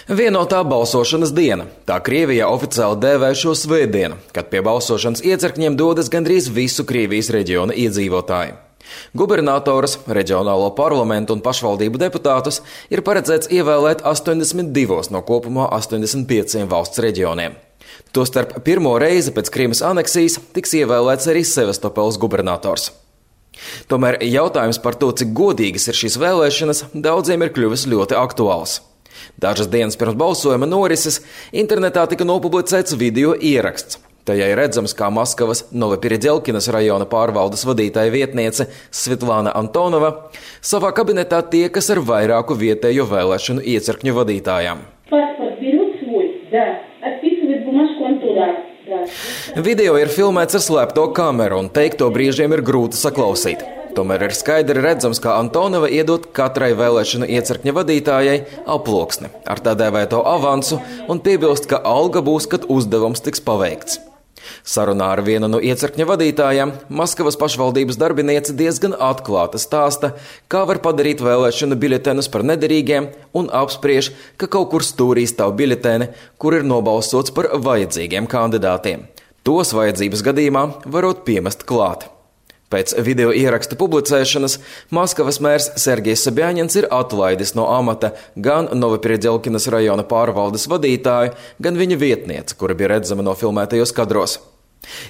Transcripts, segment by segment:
Vienotā balsošanas diena. Tā Krievijā oficiāli dēvē šo svētdienu, kad pie balsošanas iecirkņiem dodas gandrīz visu Krievijas reģiona iedzīvotāji. Gubernatoras, reģionālo parlamentu un pašvaldību deputātus ir paredzēts ievēlēt 82 no kopumā 85 valsts reģioniem. Tostarp pirmo reizi pēc Krimas aneksijas tiks ievēlēts arī Sevastopoles gubernators. Tomēr jautājums par to, cik godīgas ir šīs vēlēšanas, daudziem ir kļuvis ļoti aktuāls. Dažas dienas pirms balsojuma norises internetā tika nopublicēts video ieraksts. Tajā ir redzams, kā Maskavas Novopiredelkinas rajona pārvaldes vadītāja vietniece Svetlana Antonova savā kabinetā tiekas ar vairāku vietējo vēlēšanu iecirkņu vadītājām. Video ir filmēts ar slēpto kameru un teikto brīžiem ir grūti saklausīt. Tomēr ir skaidri redzams, kā Antonova iedod katrai vēlēšanu iecirkņa vadītājai aploksni ar tā dēvēto avansu un piebilst, ka alga būs, kad uzdevums tiks paveikts. Sarunā ar vienu no iecirkņa vadītājām Maskavas pašvaldības darbiniece diezgan atklāti stāsta, kā var padarīt vēlēšanu biļetenus par nederīgiem un apspriež, ka kaut kur stūrī stāv biļeteni, kur ir nobalsots par vajadzīgiem kandidātiem. Tos vajadzības gadījumā varot piemest klāt. Pēc video ieraksta publicēšanas Maskavas mērs Sergejs Sobjaņins ir atlaidis no amata gan Novopiredelkinas rajona pārvaldes vadītāju, gan viņa vietnieci, kura bija redzama nofilmētajos kadros.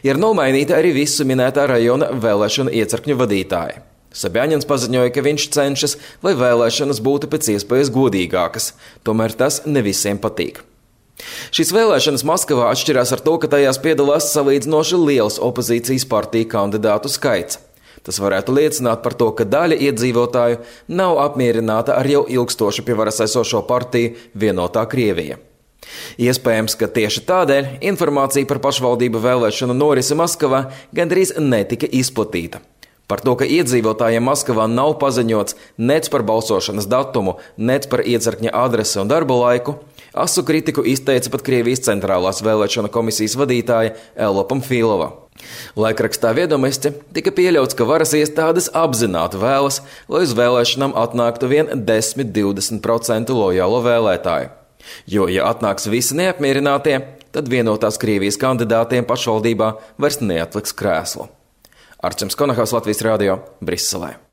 Ir nomainīta arī visu minētā rajona vēlēšanu iecirkņu vadītāji. Sobjaņins paziņoja, ka viņš cenšas, lai vēlēšanas būtu pēc iespējas godīgākas, tomēr tas ne visiem patīk. Šīs vēlēšanas Maskavā atšķirās ar to, ka tajās piedalās salīdzinoši liels opozīcijas partiju kandidātu skaits. Tas varētu liecināt par to, ka daļa iedzīvotāju nav apmierināta ar jau ilgstoši pie varas esošo partiju Vienotā Krievija. Iespējams, ka tieši tādēļ informācija par pašvaldību vēlēšanu norisi Maskavā gandrīz netika izplatīta. Par to, ka iedzīvotājiem Maskavā nav paziņots nec par balsošanas datumu, nec par iecirkņa adresi un darba laiku, asu kritiku izteica pat Krievijas centrālās vēlēšana komisijas vadītāja Ella Pamfilova. Laikrakstā Viedomosti tika pieļauts, ka varas iestādes apzināti vēlas, lai uz vēlēšanām atnāktu vien 10–20% lojālo vēlētāju. Jo, ja atnāks visi neapmierinātie, tad vienotās Krievijas kandidātiem pašvaldībā vairs neatliks krēslu. Arčuns Konahaus, Latvijas radio, Briselē.